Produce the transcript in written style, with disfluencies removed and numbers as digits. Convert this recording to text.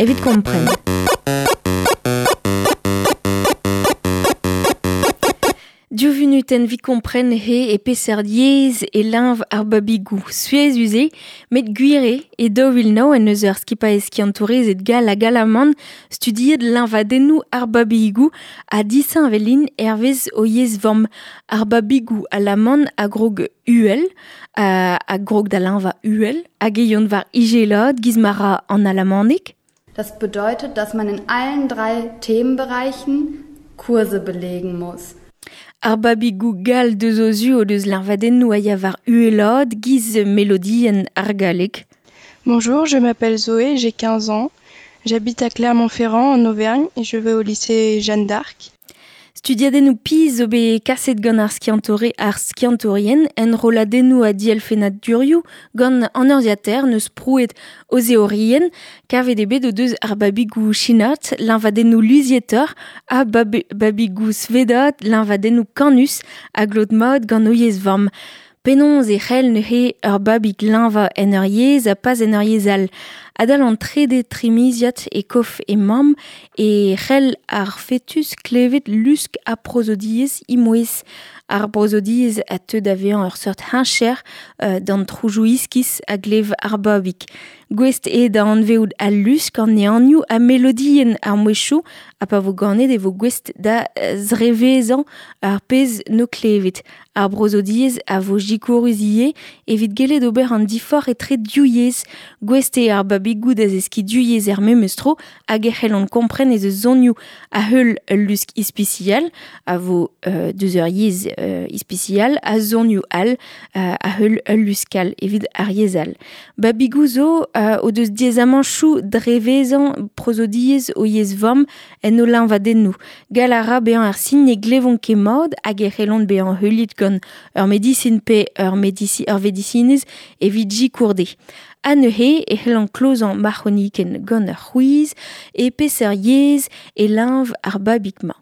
evit kompren. Div vunutenn 'vit kompren he e peseurt yezh e leñv ar babigoù. Souezhus eo, met gwir eo, e 2009 en deus ur skipailh skiantourezed gall hag alaman studiet leñvadennoù ar babigoù ha disheñvel int hervez o yezh vamm. Ar babigoù alaman a grog uhel, a grog da leñvañ uhel, hag e yont war izelad giz ma ra an alamaneg. Das bedeutet, dass man in allen drei Themenbereichen Kurse belegen muss. Ar babigoù gall deus o zu o deus leñvadennoù a ya war uhelaat giz melodienn ar galleg. Bonjour, je m'appelle Zoé, j'ai 15 ans. J'habite à Clermont-Ferrand en Auvergne et je vais au lycée Jeanne d'Arc. Studiadennoù pizh zo bet kaset gant ar skiantoure ar skiantourien, enrolladennoù ha dielfennadurioù gant an urzhiataer n'eus prouet o zeorienn. Kavet eo bet o deus ar babigoù chinat, liñvadennoù luzietoc'h ha babigoù svedat, liñvadennoù kanus a glot mat gant o yezh vamm. Penaos e c'hell neuze ur babig leñvañ en ur yezh ha pas en ur yezh all? Adal an trede trimiziad e kof e mamm e c'hell ar fetus klevet lusk ha prozodiezh he mouezh. Ar brozodiezh a teu da vezañ ur seurt heñcher d'an trouzoù iskis a glev ar babig. Gouest eo da anvezout al lusk, an ehanioù ha melodienn ar mouezhioù ha pa vo ganet e vo gouest da zrevezañ ar pezh 'no klevet. Ar brozodiezh a vo sikourus ivez evit gellet ober an diforc'h etre div yezh. Gouest eo ar babigoù da zeskiñ div yezh er memes tro hag e c'hellont kompren ez eus zonioù a-heul ul lusk ispisial a vo deus ur yezh ispisial ha zonioù all a-heul ul lusk all evit ar yezh all. Babigoù zo o deus diaezamantoù drevezañ prozodiezh o yezh vamm en o liñvadennoù. Gall a ra bezañ ar sin ne glevont ket mat hag e c'hellont bezañ heuliet gant ur medisin pe ur vedisinez evit sikour dezhe. Ha neuze e c'hellan klozañ ma c'hronikenn gant ur c'hwiz e peseurt yezh e leñv ar babig-mañ.